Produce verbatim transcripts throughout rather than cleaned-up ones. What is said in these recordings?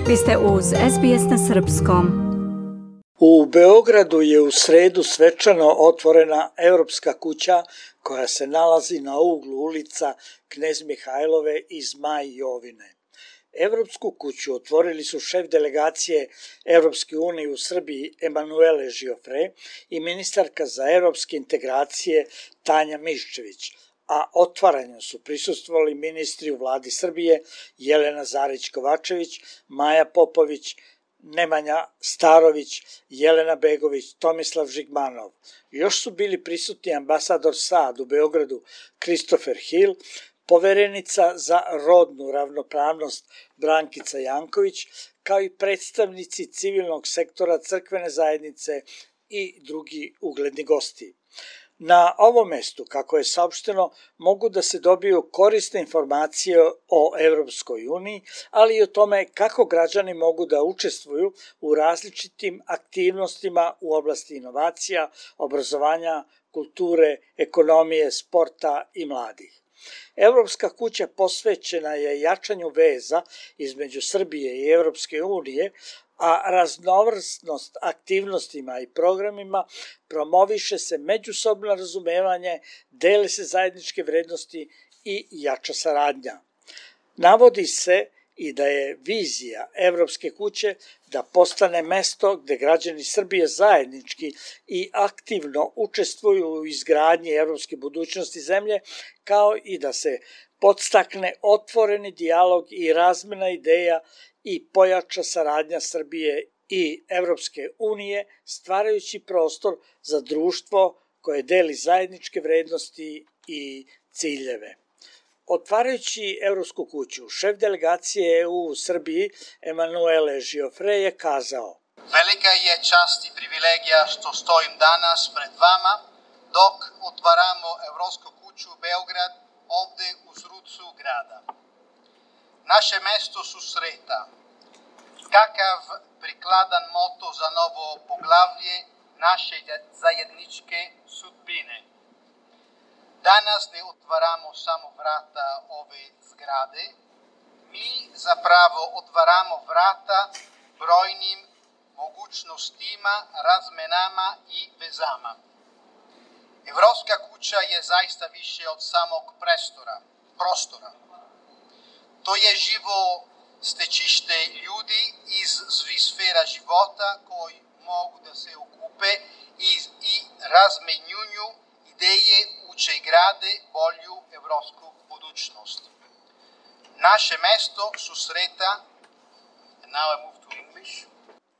Vi ste uz S B S na srpskom. U Beogradu je u sredu svečano otvorena Evropska kuća koja se nalazi na uglu ulica Knez Mihajlove i Zmaj Jovine. Evropsku kuću otvorili su šef delegacije Evropske unije u Srbiji Emanuele Žiofre i ministarka za evropske integracije Tanja Miščević, a otvaranju su prisustvovali ministri u vladi Srbije Jelena Zarić Kovačević, Maja Popović, Nemanja Starović, Jelena Begović, Tomislav Žigmanov. Još su bili prisutni ambasador S A D u Beogradu Christopher Hill, poverenica za rodnu ravnopravnost Brankica Janković, kao i predstavnici civilnog sektora, crkvene zajednice i drugi ugledni gosti. Na ovom mestu, kako je saopšteno, mogu da se dobiju korisne informacije o Evropskoj uniji, ali i o tome kako građani mogu da učestvuju u različitim aktivnostima u oblasti inovacija, obrazovanja, kulture, ekonomije, sporta i mladih. Evropska kuća posvećena je jačanju veza između Srbije i Evropske unije, a raznovrsnost aktivnostima i programima promoviše se međusobno razumevanje, dele se zajedničke vrednosti i jača saradnja. Navodi se i da je vizija Evropske kuće da postane mesto gde građani Srbije zajednički i aktivno učestvuju u izgradnji evropske budućnosti zemlje, kao i da se podstakne otvoreni dijalog i razmena ideja i pojača saradnja Srbije i Evropske unije, stvarajući prostor za društvo koje deli zajedničke vrednosti i ciljeve. Otvarajući Evropsku kuću, šef delegacije E U u Srbiji Emanuele Žiofre je kazao: Velika je čast i privilegija što stojim danas pred vama dok otvaramo Evropsku kuću u Beograd, ovde u srcu grada. Naše mesto susreta. Kakav prikladan moto za novo poglavlje naše zajedničke sudbine. Danas ne otvaramo samo vrata ove zgrade, mi zapravo otvaramo vrata brojnim mogućnostima, razmenama i vezama. Evropska kuća je zaista više od samog prestora, prostora. To je živo stečište ljudi iz svih sfera života koji mogu da se okupe i, i razmenjuju ideje uče i grade bolju evropsku budućnost. Naše mesto susreta, and now I move to English.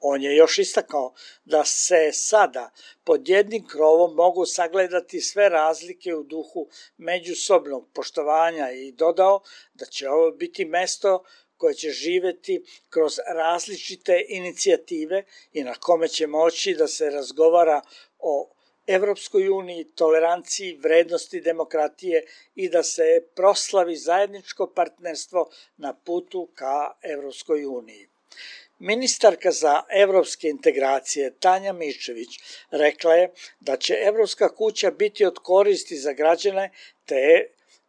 On je još istakao da se sada pod jednim krovom mogu sagledati sve razlike u duhu međusobnog poštovanja i dodao da će ovo biti mesto koje će živeti kroz različite inicijative i na kome će moći da se razgovara o Evropskoj uniji, toleranciji, vrednosti demokratije i da se proslavi zajedničko partnerstvo na putu ka Evropskoj uniji. Ministarka za evropske integracije Tanja Miščević rekla je da će Evropska kuća biti od koristi za građane, te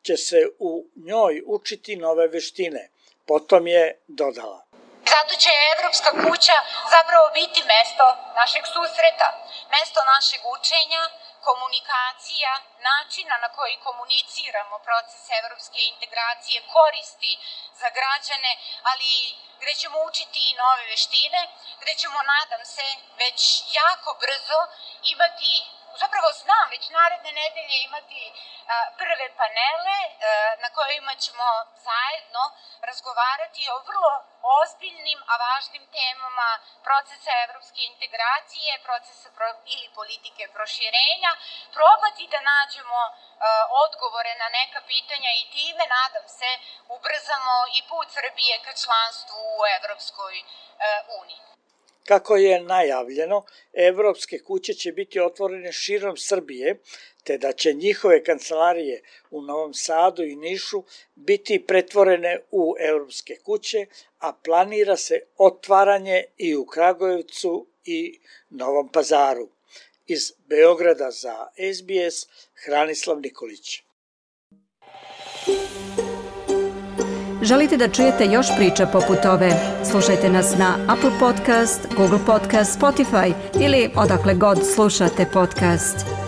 će se u njoj učiti nove veštine. Potom je dodala: Zato će Evropska kuća zapravo biti mesto našeg susreta, mesto našeg učenja, komunikacija, načina na koji komuniciramo proces evropske integracije, koristi za građane, ali gde ćemo učiti i nove veštine, gde ćemo, nadam se, već jako brzo imati, zapravo znam, već naredne nedelje imati a, prve panele a, na kojima ćemo zajedno razgovarati o vrlo ozbiljnim, a važnim temama procesa evropske integracije, procesa pro, ili politike proširenja, probati da nađemo a, odgovore na neka pitanja i time, nadam se, ubrzamo i put Srbije ka članstvu u Evropskoj a, uniji. Kako je najavljeno, Evropske kuće će biti otvorene širom Srbije, te da će njihove kancelarije u Novom Sadu i Nišu biti pretvorene u Evropske kuće, a planira se otvaranje i u Kragujevcu i Novom Pazaru. Iz Beograda za S B S, Hranislav Nikolić. Želite da čujete još priča poput ove? Slušajte nas na Apple Podcast, Google Podcast, Spotify ili odakle god slušate podcast.